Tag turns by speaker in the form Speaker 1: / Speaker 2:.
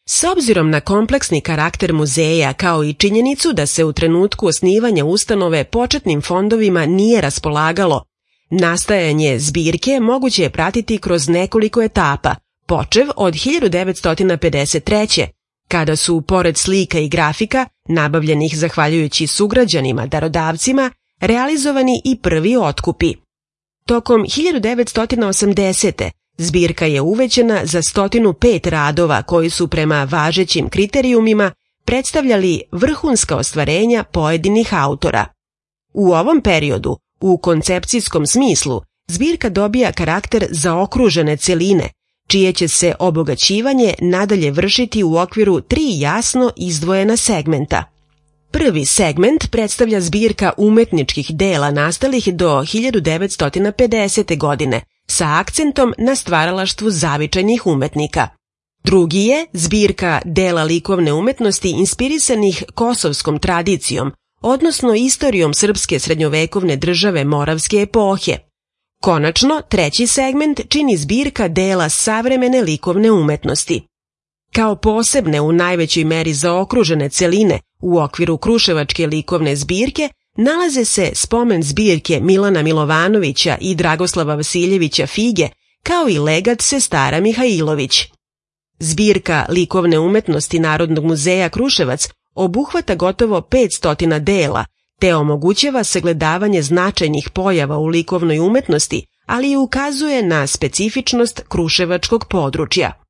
Speaker 1: S obzirom na kompleksni karakter muzeja kao i činjenicu da se u trenutku osnivanja ustanove početnim fondovima nije raspolagalo, nastajanje zbirke moguće je pratiti kroz nekoliko etapa, počev od 1953. kada su, pored slika i grafika, nabavljenih zahvaljujući sugrađanima, darodavcima, realizovani i prvi otkupi. Tokom 1980. zbirka je uvećana za 105 radova koji su prema važećim kriterijumima predstavljali vrhunska ostvarenja pojedinih autora. U ovom periodu, u koncepcijskom smislu, zbirka dobija karakter zaokružene celine, čije će se obogaćivanje nadalje vršiti u okviru 3 jasno izdvojena segmenta. Prvi segment predstavlja zbirka umetničkih dela nastalih do 1950. godine, sa akcentom na stvaralaštvu zavičajnih umetnika. Drugi je zbirka dela likovne umetnosti inspirisanih kosovskom tradicijom, odnosno istorijom srpske srednjovekovne države Moravske epohe. Konačno, treći segment čini zbirka dela savremene likovne umetnosti. Kao posebne u najvećoj meri zaokružene celine u okviru Kruševačke likovne zbirke nalaze se spomen zbirke Milana Milovanovića i Dragoslava Vasiljevića Fige, kao i legat sestara Mihajlović. Zbirka likovne umetnosti Narodnog muzeja Kruševac obuhvata gotovo 500 dela, te omogućava sagledavanje značajnih pojava u likovnoj umetnosti, ali i ukazuje na specifičnost kruševačkog područja.